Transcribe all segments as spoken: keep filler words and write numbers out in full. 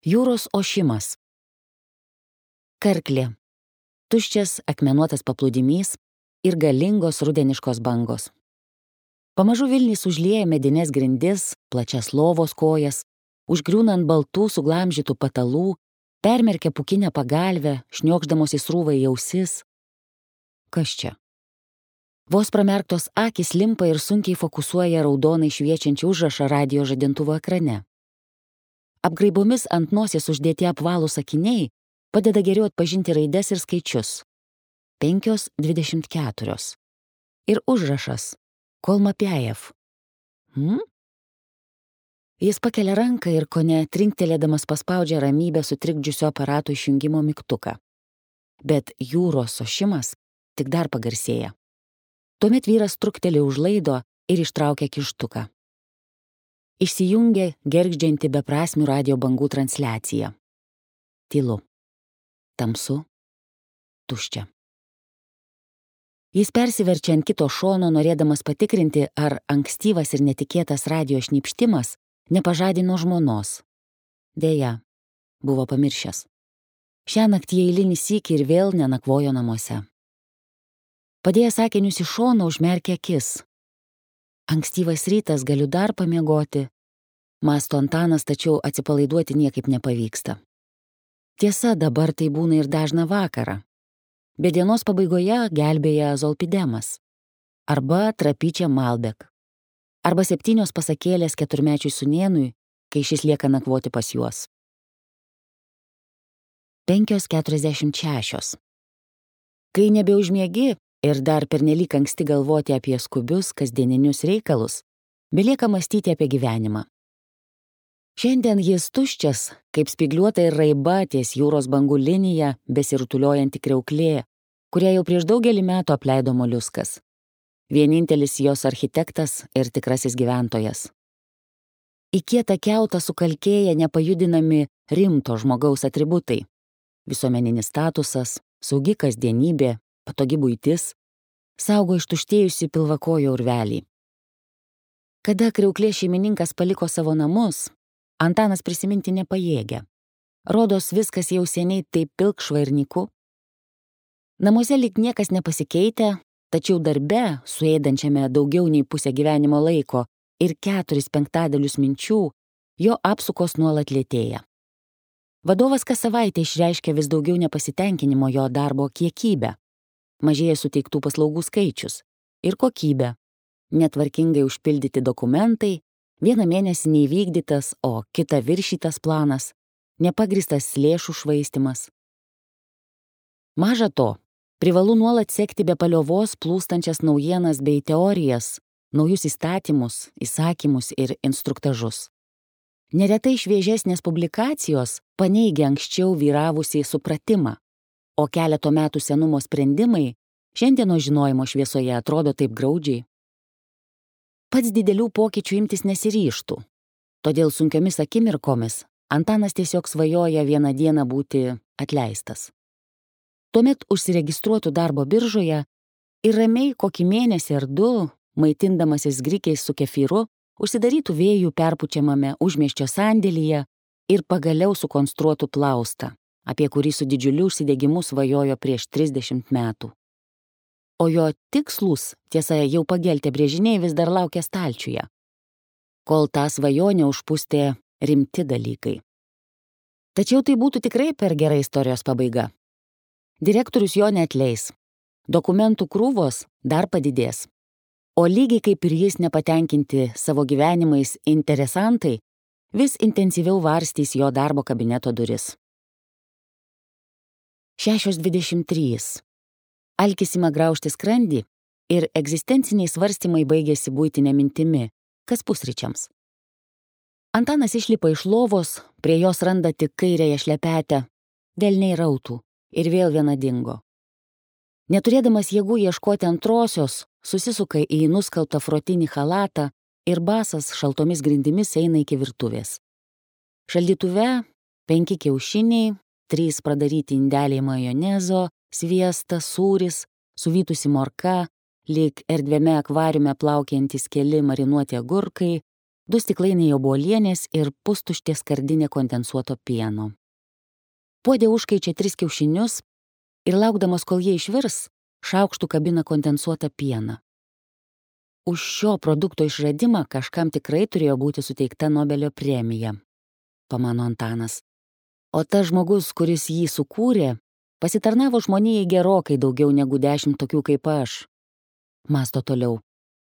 Jūros ošimas. Karklė. Tuščias akmenuotas paplūdimys ir galingos rudeniškos bangos. Pamažu Vilnys užlieja medines grindis, plačias lovos kojas, užgriūnant baltų suglamžytų patalų, permerkia pukinę pagalvę, šniokšdamos į srūvą į ausis. Kas čia? Vos pramerktos akys limpa ir sunkiai fokusuoja raudonai šviečiančią užrašą radijo žadintuvo ekrane. Apgraibomis ant nosies uždėti apvalūs akiniai padeda geriau atpažinti raides ir skaičius. Penkios dvidešimt keturios. Ir užrašas Kolmapiajev. Hmm? Jis pakelia ranką ir kone trinktelėdamas paspaudžia ramybę sutrikdžiusio aparato išjungimo mygtuką. Bet jūros ošimas tik dar pagarsėja. Tuomet vyras trukteli už laido ir ištraukia kištuką. Išsijungia gergždžianti beprasmių radio bangų transliacija. Tylu. Tamsu. Tuščia. Jis persiverčia ant kito šono, norėdamas patikrinti, ar ankstyvas ir netikėtas radio šnypštimas nepažadino žmonos. Deja, buvo pamiršęs. Šiąnakt jie eilinį sykį ir vėl nenakvojo namuose. Padėjęs akinius į šoną, užmerkė akis. Ankstyvas rytas, galiu dar pamiegoti. Mąsto Antanas, tačiau atsipalaiduoti niekaip nepavyksta. Tiesa, dabar tai būna ir dažną vakarą. Bet dienos pabaigoje gelbėja zolpidemas. Arba trapyčia Malbek. Arba septynios pasakėlės keturmečiui sūnėnui, kai šis lieka nakvoti pas juos. Penkios keturiasdešimt šešios. Kai nebeužmiegi ir dar pernelyg anksti galvoti apie skubius kasdieninius reikalus, belieka mąstyti apie gyvenimą. Šiandien jis tuščias, kaip spygliuota ir raiba ties jūros bangų linija besirutuliojanti kriauklė, kurią jau prieš daugelį metų apleido moliuskas. Vienintelis jos architektas ir tikrasis gyventojas. Į kietą kiautą sukalkėja nepajudinami rimto žmogaus atributai. Visuomeninis statusas, saugi kasdienybė, patogi buitis, saugo ištuštėjusi pilvakojo urvelį. Kada kriauklė šeimininkas paliko savo namus, Antanas prisiminti nepajėgia. Rodos viskas jau seniai taip pilkšva ir nyku. Namuose lyg niekas nepasikeitė, tačiau darbe, suėdančiame daugiau nei pusę gyvenimo laiko ir keturis penktadalius minčių, jo apsukos nuolat lėtėja. Vadovas kas savaitę išreiškia vis daugiau nepasitenkinimo jo darbo kiekybę. Mažėja suteiktų paslaugų skaičius ir kokybė. Netvarkingai užpildyti dokumentai, vieną mėnesį neįvykdytas, o kitą viršytas planas, nepagristas lėšų švaistimas. Maža to, privalu nuolat sekti be paliovos plūstančias naujienas bei teorijas, naujus įstatymus, įsakymus ir instruktažus. Neretai šviežesnės publikacijos paneigia anksčiau vyravusį supratimą, o keleto metų senumo sprendimai šiandienos žinojimo šviesoje atrodo taip graudžiai. Pats didelių pokyčių imtis nesiryžtų, todėl sunkiomis akimirkomis Antanas tiesiog svajoja vieną dieną būti atleistas. Tuomet užsiregistruotų darbo biržoje ir ramiai kokį mėnesį ar du, maitindamasis grikiais su kefyru, užsidarytų vėjų perpučiamame užmiesčio sandėlyje ir pagaliau sukonstruotų plaustą, apie kurį su didžiuliu užsidegimu svajojo prieš trisdešimt metų. O jo tikslus, tiesa, jau pageltę brėžiniai vis dar laukia stalčiuje, kol tą svajonę užpustė rimti dalykai. Tačiau tai būtų tikrai per gera istorijos pabaiga. Direktorius jo neatleis, dokumentų krūvos dar padidės, o lygiai kaip ir jis nepatenkinti savo gyvenimais interesantai vis intensyviau varstys jo darbo kabineto duris. Šešios dvidešimt trys. Alkis ima graužti skrandį ir egzistenciniai svarstymai baigėsi buitinė mintimi, kas pusryčiams. Antanas išlipa iš lovos, prie jos randa tik kairėje šlepetę, velniai rautų ir vėl viena dingo. Neturėdamas jėgų ieškoti antrosios, susisuka į nuskalbtą frotinį chalatą ir basas šaltomis grindimis eina iki virtuvės. Šaldytuve penki kiaušiniai, trys pradaryti indeliai majonezo, sviestas, sūris, suvytusi morka, lyg erdviame akvariume plaukiantys keli marinuoti agurkai, du stiklainiai obuolienės ir pustuštė skardinė kondensuoto pieno. Puode užkaičia tris kiaušinius ir laukdamas, kol jie išvirs, šaukštų kabina kondensuotą pieną. Už šio produkto išradimą kažkam tikrai turėjo būti suteikta Nobelio premija, pamano Antanas. O tas žmogus, kuris jį sukūrė, pasitarnavo žmonijai gerokai daugiau negu dešimt tokių kaip aš. Mąsto toliau,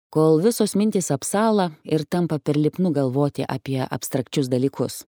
kol visos mintys apsala ir tampa per lipnu galvoti apie abstrakčius dalykus.